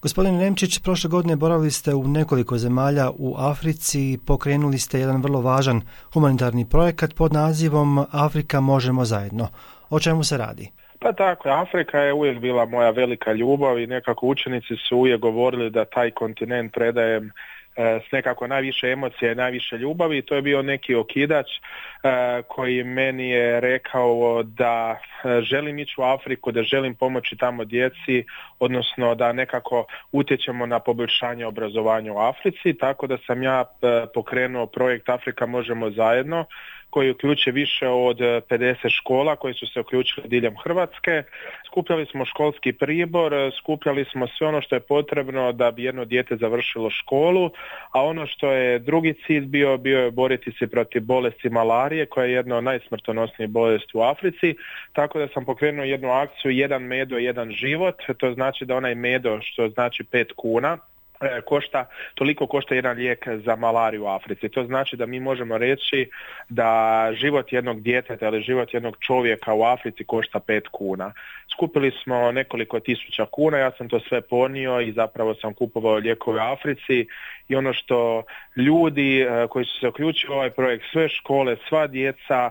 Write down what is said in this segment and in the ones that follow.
Gospodin Nemčić, prošle godine boravili ste u nekoliko zemalja u Africi i pokrenuli ste jedan vrlo važan humanitarni projekat pod nazivom Afrika možemo zajedno. O čemu se radi? Pa tako, Afrika je uvijek bila moja velika ljubav i nekako učenici su uvijek govorili da taj kontinent predajem s nekako najviše emocije i najviše ljubavi. To je bio neki okidač koji meni je rekao da želim ići u Afriku, da želim pomoći tamo djeci, odnosno da nekako utječemo na poboljšanje obrazovanja u Africi, tako da sam ja pokrenuo projekt Afrika možemo zajedno, koji uključuje više od 50 škola koji su se uključili diljem Hrvatske. Skupljali smo školski pribor, skupljali smo sve ono što je potrebno da bi jedno dijete završilo školu, a ono što je drugi cilj bio je boriti se protiv bolesti malarije, koja je jedna od najsmrtonosnijih bolesti u Africi, tako da sam pokrenuo jednu akciju jedan medo, jedan život. To znači da onaj medo, što znači 5 kuna, toliko košta jedan lijek za malariju u Africi. To znači da mi možemo reći da život jednog djeteta ili život jednog čovjeka u Africi košta 5 kuna. Skupili smo nekoliko tisuća kuna, ja sam to sve ponio i zapravo sam kupovao lijekove u Africi i ono što ljudi koji su se uključili u ovaj projekt, sve škole, sva djeca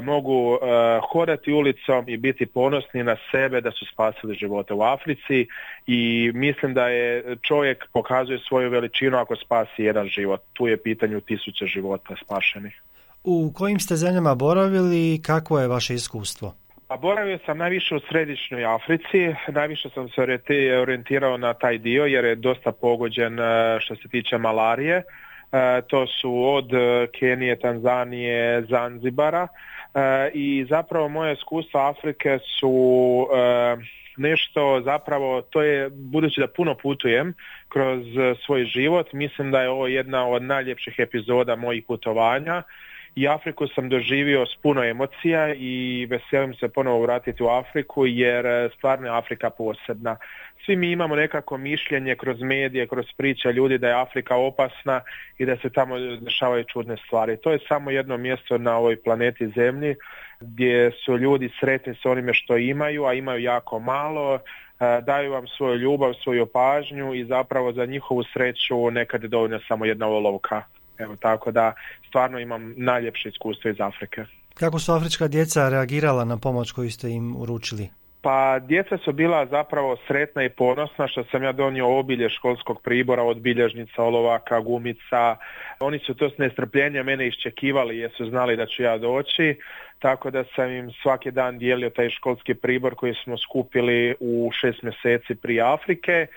mogu hodati ulicom i biti ponosni na sebe da su spasili živote u Africi i mislim da je čovjek pokazuje svoju veličinu ako spasi jedan život. Tu je pitanju tisuće života spašenih. U kojim ste zemljama boravili i kakvo je vaše iskustvo? Pa boravio sam najviše u središnjoj Africi, najviše sam se orijentirao na taj dio jer je dosta pogođen što se tiče malarije. To su od Kenije, Tanzanije, Zanzibara i zapravo moje iskustva Afrike su nešto zapravo, to je, budući da puno putujem kroz svoj život, mislim da je ovo jedna od najljepših epizoda mojih putovanja i Afriku sam doživio s puno emocija i veselim se ponovo vratiti u Afriku jer stvarno je Afrika posebna. Svi mi imamo nekako mišljenje kroz medije, kroz priče ljudi da je Afrika opasna i da se tamo dešavaju čudne stvari. To je samo jedno mjesto na ovoj planeti Zemlji gdje su ljudi sretni s onime što imaju, a imaju jako malo, daju vam svoju ljubav, svoju pažnju i zapravo za njihovu sreću nekad je dovoljno samo jedna olovka. Evo, tako da stvarno imam najljepše iskustvo iz Afrike. Kako su afrička djeca reagirala na pomoć koju ste im uručili? Pa djeca su bila zapravo sretna i ponosna što sam ja donio obilje školskog pribora od bilježnica, olovaka, gumica. Oni su to s nestrpljenjem mene iščekivali jer su znali da ću ja doći, tako da sam im svaki dan dijelio taj školski pribor koji smo skupili u 6 mjeseci prije Afrike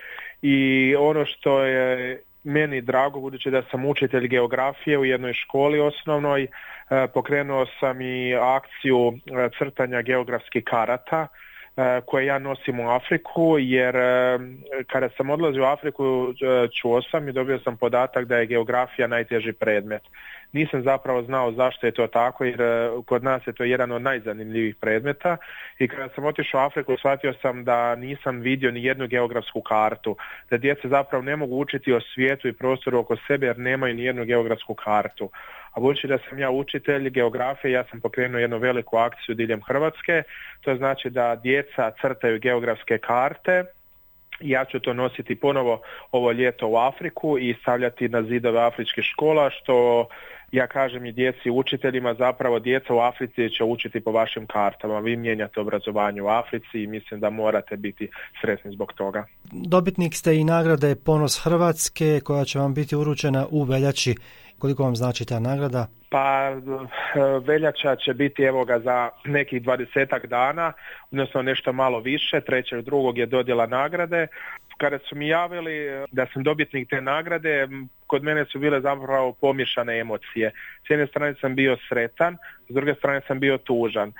i ono što je meni drago, budući da sam učitelj geografije u jednoj školi osnovnoj, pokrenuo sam i akciju crtanja geografskih karata koje ja nosim u Afriku, jer kada sam odlazio u Afriku čuo sam i dobio sam podatak da je geografija najteži predmet. Nisam zapravo znao zašto je to tako, jer kod nas je to jedan od najzanimljivijih predmeta i kada sam otišao u Afriku shvatio sam da nisam vidio ni jednu geografsku kartu, da djeca zapravo ne mogu učiti o svijetu i prostoru oko sebe jer nemaju ni jednu geografsku kartu. A budući da sam ja učitelj geografije, ja sam pokrenuo jednu veliku akciju diljem Hrvatske, to znači da djeca crtaju geografske karte. Ja ću to nositi ponovo ovo ljeto u Afriku i stavljati na zidove afričkih škola, što ja kažem i djeci učiteljima, zapravo djeca u Africi će učiti po vašim kartama. Vi mijenjate obrazovanje u Africi i mislim da morate biti sretni zbog toga. Dobitnik ste i nagrade Ponos Hrvatske koja će vam biti uručena u veljači. Koliko vam znači ta nagrada? Pa veljača će biti evo ga za nekih 20-ak dana, odnosno nešto malo više, 3.2. je dodjela nagrade. Kada su mi javili da sam dobitnik te nagrade, kod mene su bile zapravo pomiješane emocije. S jedne strane sam bio sretan, s druge strane sam bio tužan.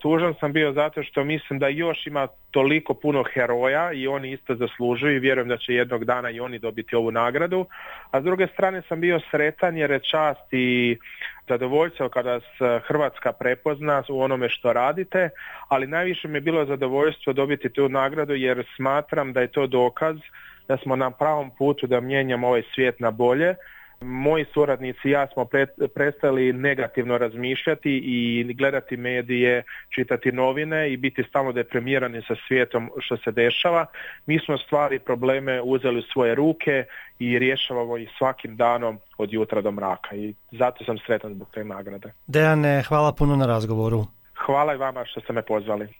Tužan sam bio zato što mislim da još ima toliko puno heroja i oni isto zaslužuju i vjerujem da će jednog dana i oni dobiti ovu nagradu. A s druge strane sam bio sretan jer je čast i zadovoljstvo kada se Hrvatska prepozna u onome što radite, ali najviše mi je bilo zadovoljstvo dobiti tu nagradu jer smatram da je to dokaz da smo na pravom putu da mijenjamo ovaj svijet na bolje, Moji suradnici i ja smo prestali negativno razmišljati i gledati medije, čitati novine i biti stalno deprimirani sa svijetom što se dešava. Mi smo stvari, probleme uzeli u svoje ruke i rješavamo ih svakim danom od jutra do mraka i zato sam sretan zbog te nagrade. Dejane, hvala puno na razgovoru. Hvala i vama što ste me pozvali.